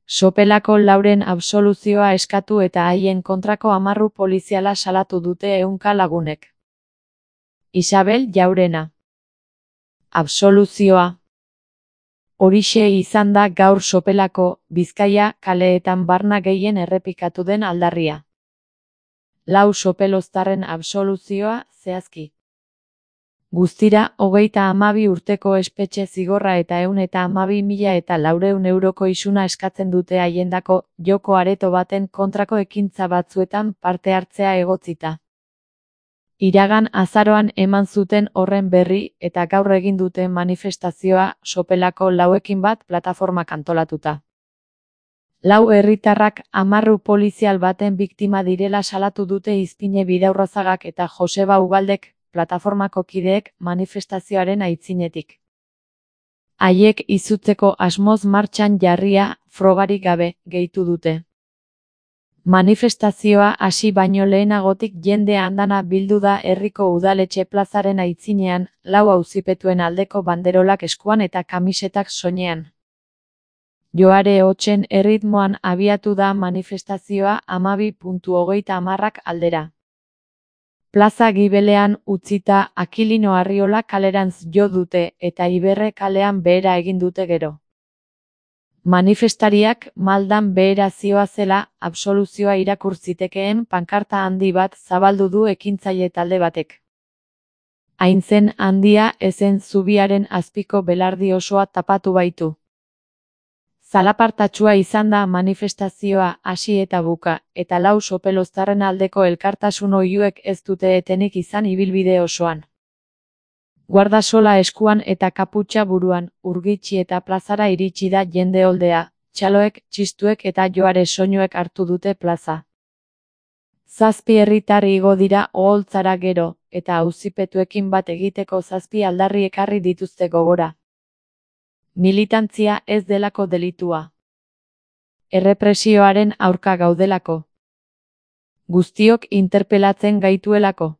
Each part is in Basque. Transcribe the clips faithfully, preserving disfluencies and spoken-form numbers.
Sopelako lauren absoluzioa eskatu eta haien kontrako amarru poliziala salatu dute ehunka lagunek. Isabel Jaurena. Absoluzioa. Horixe izan da gaur Sopelako, Bizkaia, kaleetan barna gehien errepikatu den aldarria. Lau sopeloztarren absoluzioa, zehazki. Guztira, hogeita hamabi urteko espetxe zigorra eta ehun eta hamabi mila eta laurehun euroko isuna eskatzen dute haiendako joko areto baten kontrako ekintza batzuetan parte hartzea egotzita. Iragan azaroan eman zuten horren berri eta gaur egin dute manifestazioa Sopelako lauekin bat plataformak antolatuta. Lau herritarrak amarru polizial baten biktima direla salatu dute Izpine Bidaurrazagak eta Joseba Ugaldek, plataformako kideek, manifestazioaren aitzinetik. Haiek izutzeko asmoz martxan jarria, frogarik gabe, gehitu dute. Manifestazioa hasi baino lehenagotik jende andana bildu da herriko udaletxe plazaren aitzinean, lau auzipetuen aldeko banderolak eskuan eta kamisetak soinean. Joare hotsen erritmoan abiatu da manifestazioa hamabi puntu hogeita hamarrak aldera. Plaza Gibelean utzita Akilino Arriola kalerantz jo dute eta Iberre kalean behera egin dute gero. Manifestariak maldan behera zioazela absoluzioa irakur zitekeen pankarta handi bat zabaldu du ekintzaile talde batek. Hain zen handia ezen zubiaren azpiko belardi osoa tapatu baitu. Zalapartatsua izan da manifestazioa hasi eta buka, eta lau sopeloztarren aldeko elkartasun oihuek ez dute etenik izan ibilbide osoan. Guardasola eskuan eta kaputxa buruan, urgitxi eta plazara iritsi da jende oldea, txaloek, txistuek eta joare soinuek hartu dute plaza. Zazpi herritar igo dira oholtzara gero, eta auzipetuekin bat egiteko zazpi aldarri ekarri dituzte gogora. Militantzia ez delako delitua. Errepresioaren aurka gaudelako. Guztiok interpelatzen gaituelako.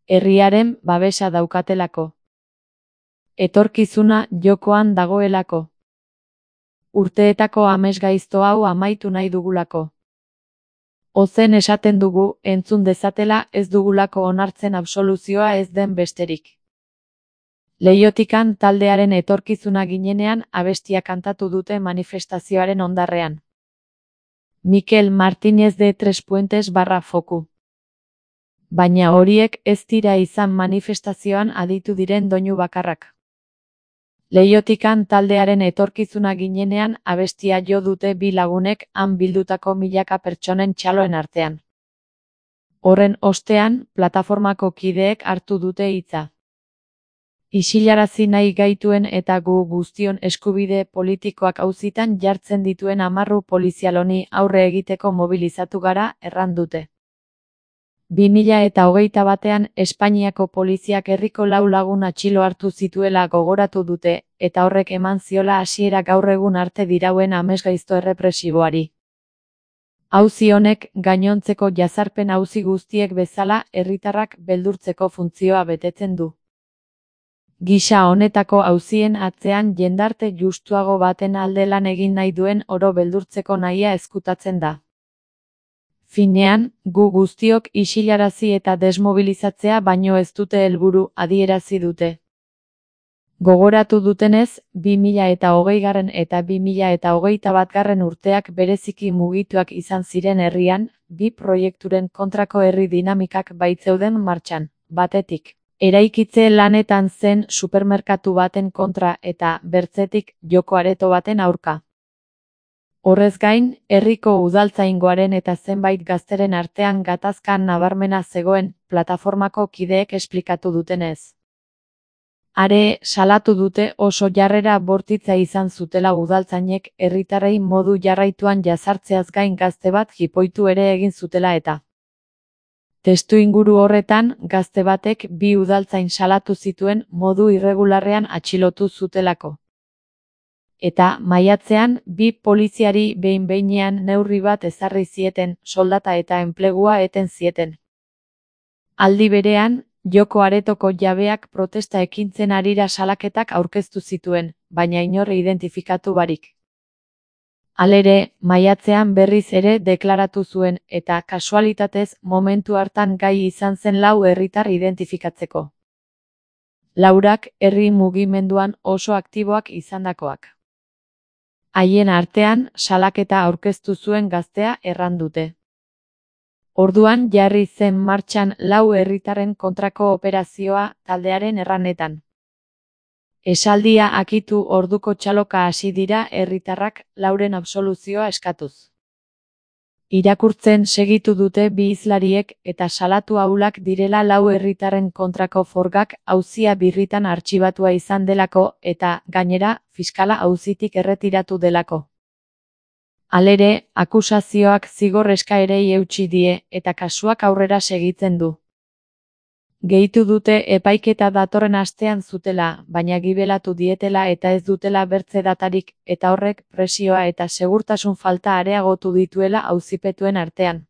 Herriaren babesa daukatelako. Etorkizuna jokoan dagoelako. Urteetako amesgaizto hau amaitu nahi dugulako. Ozen esaten dugu, entzun dezatela ez dugulako onartzen absoluzioa ez den besterik. Leiotikan taldearen etorkizuna ginenean abestia kantatu dute manifestazioaren ondarrean. Mikel Martínez de Tres Puentes barra foku. Baina horiek ez dira izan manifestazioan aditu diren doinu bakarrak. Leiotikan taldearen etorkizuna ginenean abestia jo dute bi lagunek han bildutako milaka pertsonen txaloen artean. Horren ostean, plataformako kideek hartu dute hitza. Isilarazi nahi gaituen eta gu guztion eskubide politikoak auzitan jartzen dituen amarru polizial honi aurre egiteko mobilizatu gara, erran dute. bi mila eta hogeita batean Espainiako poliziak herriko lau lagun atxilo hartu zituela gogoratu dute, eta horrek eman ziola hasiera gaur egun arte dirauen amesgaizto errepresiboari. Auzi honek gainontzeko jazarpen auzi guztiek bezala herritarrak beldurtzeko funtzioa betetzen du. Gisa honetako auzien atzean jendarte justuago baten alde lan egin nahi duen oro beldurtzeko nahia ezkutatzen da. Finean, gu guztiok isilarazi eta desmobilizatzea baino ez dute helburu adierazi dute. Gogoratu dutenez, bi mila eta hogeigarren eta bi mila eta hogeita batgarren urteak bereziki mugituak izan ziren herrian, bi proiekturen kontrako herri dinamikak baitzeuden martxan, batetik. Eraikitze lanetan zen supermerkatu baten kontra eta, bertzetik, joko areto baten aurka. Horrez gain, herriko udaltzaingoaren eta zenbait gazteren artean gatazkan nabarmena zegoen, plataformako kideek esplikatu dutenez. Are, salatu dute oso jarrera bortitza izan zutela udaltzainek herritarrei modu jarraituan jazartzeaz gain gazte bat jipoitu ere egin zutela eta. Testu inguru horretan, gazte batek bi udaltzain salatu zituen modu irregularrean atxilotu zutelako. Eta, maiatzean, bi poliziari behin-behinean neurri bat ezarri zieten, soldata eta enplegua eten zieten. Aldi berean, joko aretoko jabeak protesta ekintzen harira salaketak aurkeztu zituen, baina inor identifikatu barik. Halere, maiatzean berriz ere deklaratu zuen eta kasualitatez momentu hartan gai izan zen lau herritar identifikatzeko. Laurak herri mugimenduan oso aktiboak izandakoak. Haien artean salaketa aurkeztu zuen gaztea erran dute. Orduan jarri zen martxan lau herritarren kontrako operazioa taldearen erranetan. Esaldia akitu orduko txaloka hasi dira herritarrak lauren absoluzioa eskatuz. Irakurtzen segitu dute bi hizlariek eta salatu ahulak direla lau herritarren kontrako forgak auzia birritan artxibatua izan delako eta, gainera, fiskala auzitik erretiratu delako. Halere, akusazioak zigor eskaerei eutsi die eta kasuak aurrera segitzen du. Gehitu dute epaiketa datorren astean zutela, baina gibelatu dietela eta ez dutela bertze datarik, eta horrek presioa eta segurtasun falta areagotu dituela auzipetuen artean.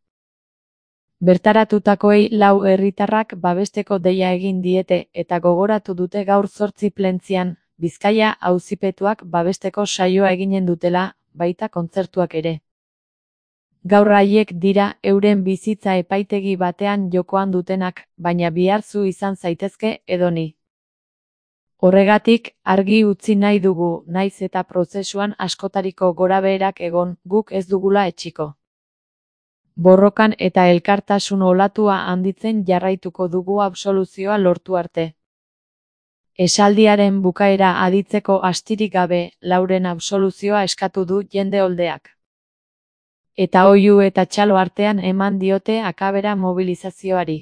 Bertaratutakoei lau herritarrak babesteko deia egin diete eta gogoratu dute gaur zortzi plentzian, Bizkaia auzipetuak babesteko saioa eginen dutela, baita kontzertuak ere. Gaur haiek dira euren bizitza epaitegi batean jokoan dutenak, baina biharzu izan zaitezke edoni. Horregatik, argi utzi nahi dugu, naiz eta prozesuan askotariko gorabeherak egon, guk ez dugula etxiko. Borrokan eta elkartasun olatua handitzen jarraituko dugu absoluzioa lortu arte. Esaldiaren bukaera aditzeko astirik gabe, lauren absoluzioa eskatu du jende oldeak. Eta oihu eta txalo artean eman diote akabera mobilizazioari.